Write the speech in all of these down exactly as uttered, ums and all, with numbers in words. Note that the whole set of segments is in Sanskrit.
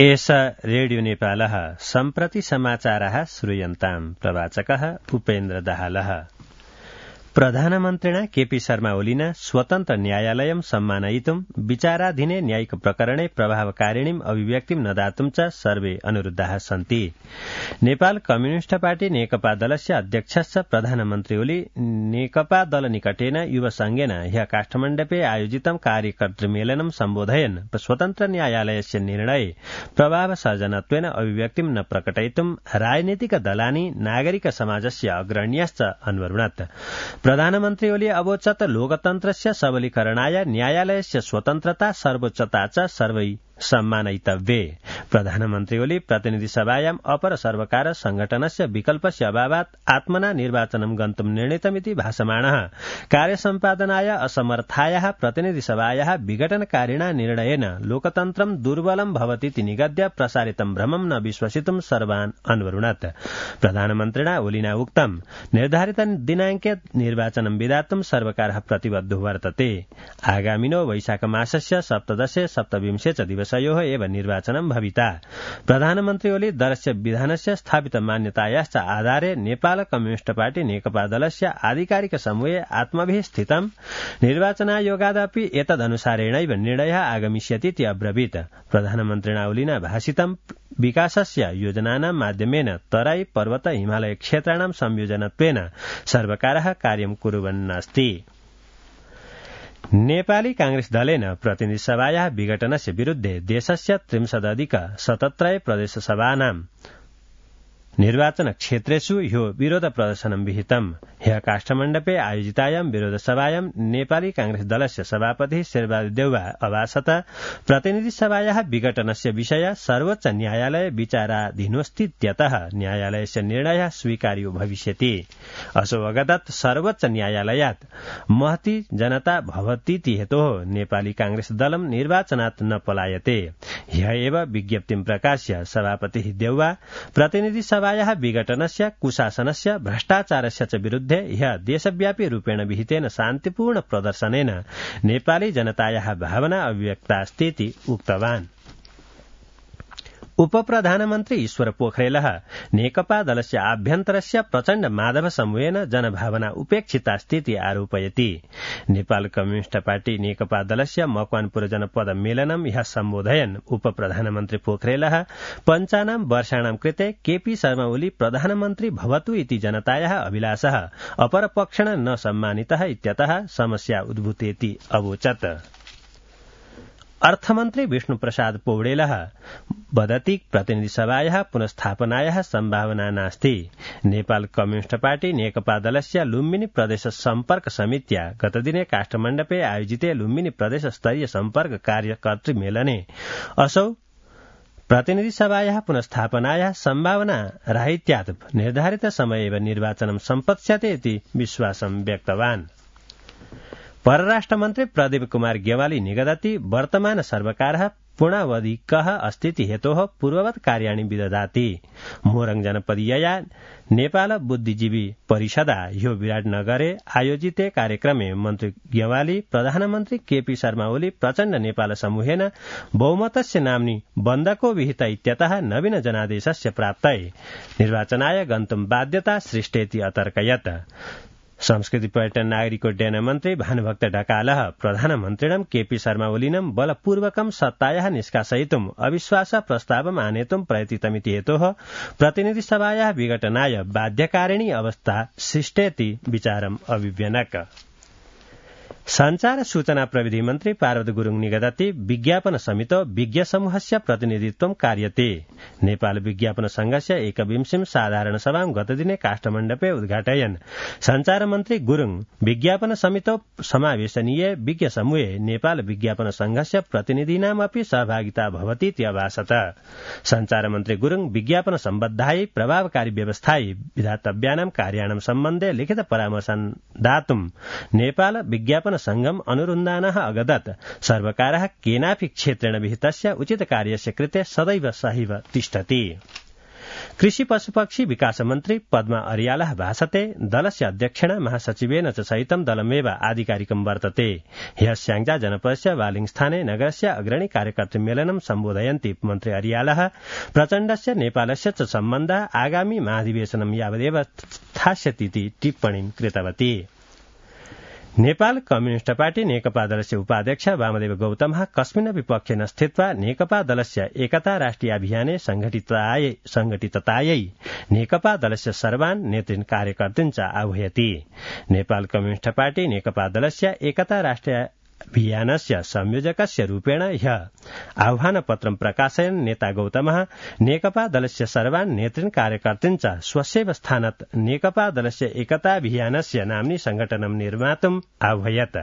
एष रेडियो नेपालः सम्प्रति समाचारः श्रूयन्ताम् प्रवाचकः उपेन्द्र दाहालः। प्रधानमन्त्रिणा केपी शर्मा ओलिना स्वतन्त्र न्यायालयं सम्मानयितुं विचाराधीने न्यायिक प्रकरणे प्रभावकारिणीम् अभिव्यक्तिं न दातुं च सर्वे अनुरुद्धाः सन्ति। नेपाल कम्युनिष्ट पार्टी नेकपा दलस्य अध्यक्षश्च प्रधानमन्त्री ओली नेकपा दल निकटेन युवसंघेन ह्य काठमाण्डुपे आयोजितं कार्यकर्तृमेलनं सम्बोधयन् स्वतन्त्र न्यायालयस्य निर्णये प्रभावसर्जनत्वेन अभिव्यक्तिं न प्रकटयितुं राजनीतिक दलानि नागरिक समाजस्य अग्रण्यश्च अन्वरुणत्। प्रधानमन्त्री ओली अवोचत् लोकतन्त्रस्य सबलीकरणाय न्यायालयस्य स्वतन्त्रता सर्वोच्चता च सर्वै सम्मानयितव्ये। प्रधानमन्त्री ओली प्रतिनिधि सभायाम् अपर सर्वकार संघटनस्य विकल्पस्य अभावात् आत्मना निर्वाचनं गन्तुं निर्णीतमिति भासमाणः कार्यसम्पादनाय असमर्थायाः प्रतिनिधि सभायाः विघटनकारिणा निर्णयेन लोकतन्त्रं दुर्बलं भवतीति निगद्य प्रसारितं भ्रमं न विश्वसितुं सर्वान् अन्वरुणत्। प्रधानमन्त्रिणा ओलिना उक्तं निर्धारित दिनाङ्के निर्वाचनं विधातुं सर्वकारः प्रतिबद्धो वर्तते। आगामिनो वैशाख मासस्य सप्तदशे सप्तविंशे च दिवसयोः एव निर्वाचनं भविता। प्रधानमन्त्री ओली दलस्य विधानस्य स्थापित मान्यतायाश्च आधारे नेपाल कम्युनिष्ट पार्टी नेकपा दलस्य आधिकारिक समूहे आत्मभिः स्थितं निर्वाचनायोगादपि एतदनुसारेणैव निर्णयः आगमिष्यतीति अब्रवीत्। प्रधानमन्त्रिणा ओलिना भाषितं विकासस्य योजनानां माध्यमेन तराई पर्वत हिमालय क्षेत्राणां संयोजनत्वेन सर्वकारः कार्यं कुर्वन्नस्ति। नेपाली कांग्रेस दलेन प्रतिनिधि सभायाः विघटनस्य विरुद्धे देशस्य त्रिंशदधिक सतत्रय प्रदेशसभानां निर्वाचन क्षेत्रेषु ह्यो विरोध प्रदर्शनं विहितम्। ह्य काठमाण्डुपे आयोजितायां विरोध सभायां नेपाली कांग्रेस दलस्य सभापति शेरबहादुर देउवा अभासत प्रतिनिधि सभायाः विघटनस्य विषय सर्वोच्च न्यायालय विचाराधीनोऽस्तीत्यतः न्यायालयस्य निर्णयः स्वीकार्यो भविष्यति। असो अगदत् सर्वोच्च न्यायालयात् महती जनता भवतीति हेतोः नेपाली कांग्रेस दलं निर्वाचनात् न पलायते। ह्य एव विज्ञप्तिं प्रकाश्य सभापतिः देउवा प्रतिनिधि सभा विघटनस्य कुशासनस्य भ्रष्टाचारस्य च विरुद्धे ह्य देशव्यापी रूपेण विहितेन शान्तिपूर्ण प्रदर्शनेन नेपाली जनतायाः भावना अभिव्यक्तास्तीति उक्तवान्। उपप्रधानमन्त्री ईश्वर पोखरेलः नेकपा दलस्य आभ्यन्तरस्य प्रचण्ड माधव समूहेन जनभावना उपेक्षितास्तीति आरोपयति। नेपाल कम्युनिष्ट पार्टी नेकपा दलस्य मकवानपुर जनपद मेलनं ह्यः सम्बोधयन् उपप्रधानमन्त्री पोखरेलः पञ्चानां वर्षाणां कृते केपी शर्मा ओली प्रधानमन्त्री भवतु इति जनतायाः अभिलाषः अपरपक्षेण न सम्मानितः इत्यतः समस्या उद्भूतेति अवोचत्। अर्थमन्त्री विष्णुप्रसाद पौडेलः वदति प्रतिनिधि सभायाः पुनस्थापनायाः सम्भावना नास्ति। नेपाल कम्युनिष्ट पार्टी नेकपा दलस्य लुम्बिनी प्रदेश सम्पर्क समित्या गतदिने काठमाण्डुपे आयोजिते लुम्बिनी प्रदेश स्तरीय सम्पर्क कार्यकर्तृ मेलने असौ प्रतिनिधि सभायाः पुनस्थापनायाः सम्भावना राहित्यात् निर्धारित समये एव निर्वाचनं सम्पत्स्यते इति विश्वासं व्यक्तवान्। परराष्ट्रमन्त्री प्रदीप कुमार गेवाली निगदति वर्तमान सर्वकारः पूर्णावधिकः अस्तीति हेतोः पूर्ववत् कार्याणि विदधाति। मोरङ जनपदीयया नेपाल बुद्धिजीवी परिषदा ह्यो विराटनगरे आयोजिते कार्यक्रमे मन्त्री गेवाली प्रधानमन्त्री केपी शर्मा ओली प्रचण्ड नेपाल समूहेन बहुमतस्य नाम्नि बन्दको विहित इत्यतः नवीन जनादेशस्य प्राप्तये निर्वाचनाय गन्तुं बाध्यता सृष्टेति अतर्कयत्। संस्कृति पर्यटन नागरिकोड्डयन मन्त्री भानुभक्त ढकालः प्रधानमन्त्रिणं केपी शर्मा ओलिनं बलपूर्वकं सत्तायाः निष्कासयितुम् अविश्वास प्रस्तावम् आनेतुं प्रयतितमिति हेतोः प्रतिनिधि सभायाः विघटनाय बाध्यकारिणी अवस्था सृष्टेति विचारम् अभिव्यनक। संचार सूचना प्रविधि मन्त्री पार्वती गुरुङ निगदति विज्ञापन समितो विज्ञ समूहस्य प्रतिनिधित्वं कार्यते। नेपाल विज्ञापन संघस्य एकविंशतिं साधारण सभां गतदिने काठमाण्डुपे उद्घाटयन् संचार मन्त्री गुरुङ विज्ञापन समितो समावेशनीय विज्ञ समूहे नेपाल विज्ञापन संघस्य प्रतिनिधीनामपि सहभागिता भवतीति अभासत। संचार मन्त्री गुरुङ विज्ञापन सम्बद्धायै प्रभावकारी व्यवस्थायै विधातव्यानां कार्याणां सम्बन्धे लिखित परामर्शं दातुं नेपाल विज्ञापन संघम् अनुरुन्धानः अगदत् सर्वकारः केनापि क्षेत्रेण विहितस्य उचित कार्यस्य कृते सदैव सहैव तिष्ठति। कृषि पशुपक्षी विकास मन्त्री पद्मा अर्यालः भाषते दलस्य अध्यक्षेण महासचिवेन च सहितं दलमेव आधिकारिकं वर्तते ह्यः स्याङ्जा जनपदस्य वालिङस्थाने नगरस्य अग्रणी कार्यकर्तृमेलनं सम्बोधयन्ती मन्त्री अर्यालः प्रचण्डस्य नेपालस्य च सम्बन्धः आगामी महाधिवेशनं यावदेव स्थास्यतीति टिप्पणीं कृतवती। नेपाल कम्युनिष्ट पार्टी नेकपा दलस्य उपाध्यक्ष वामदेव गौतमः कस्मिन्नपि पक्षे न स्थित्वा नेकपा दलस्य एकता राष्ट्रिय अभियाने संघटिततायै नेकपा दलस्य सर्वान् नेतृन् कार्यकर्तृन् च आह्वयति। नेपाल कम्युनिष्ट पार्टी नेकपा दलस्य एकता राष्ट्रिय अभियानस्य संयोजकस्य रूपेण ह्यः आह्वानपत्रं प्रकाशयन् नेता गौतमः नेकपा दलस्य सर्वान् नेतृन् कार्यकर्तृन् च स्वस्यैव स्थानात् नेकपा दलस्य एकताभियानस्य नाम्नि संघटनं निर्मातुम् आह्वयत्।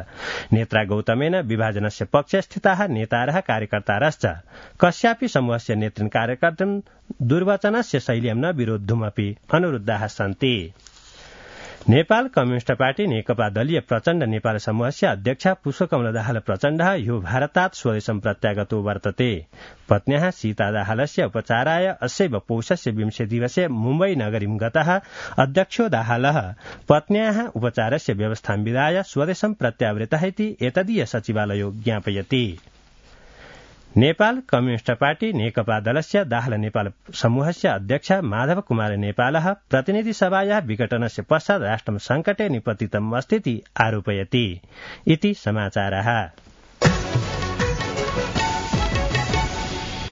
नेत्रा गौतमेन विभाजनस्य पक्षे स्थिताः नेतारः कार्यकर्तारश्च कस्यापि समूहस्य नेतृन् कार्यकर्तृन् दुर्वचनस्य शैल्यां न विरोद्धुमपि अनुरुद्धाः सन्ति। नेपाल कम्युनिष्ट पार्टी नेकपा दलीय प्रचण्ड नेपाल समूहस्य अध्यक्ष पुष्पकमल दाहाल प्रचण्डः ह्यो भारतात् स्वदेशं प्रत्यागतो वर्तते। पत्न्याः सीता दाहालस्य उपचाराय अस्यैव पौषस्य विंशे दिवसे मुम्बई नगरीं गतः अध्यक्षो दाहालः पत्न्याः उपचारस्य व्यवस्थां विधाय स्वदेशं प्रत्यावृतः इति एतदीय सचिवालयो ज्ञापयति। नेपाल कम्युनिष्ट पार्टी नेकपा दलस्य दाहाल नेपाल समूहस्य अध्यक्ष माधव कुमार नेपालः प्रतिनिधि सभायाः विघटनस्य पश्चात् राष्ट्रं संकटे निपतितम् अस्तीति आरोपयति इति समाचारः।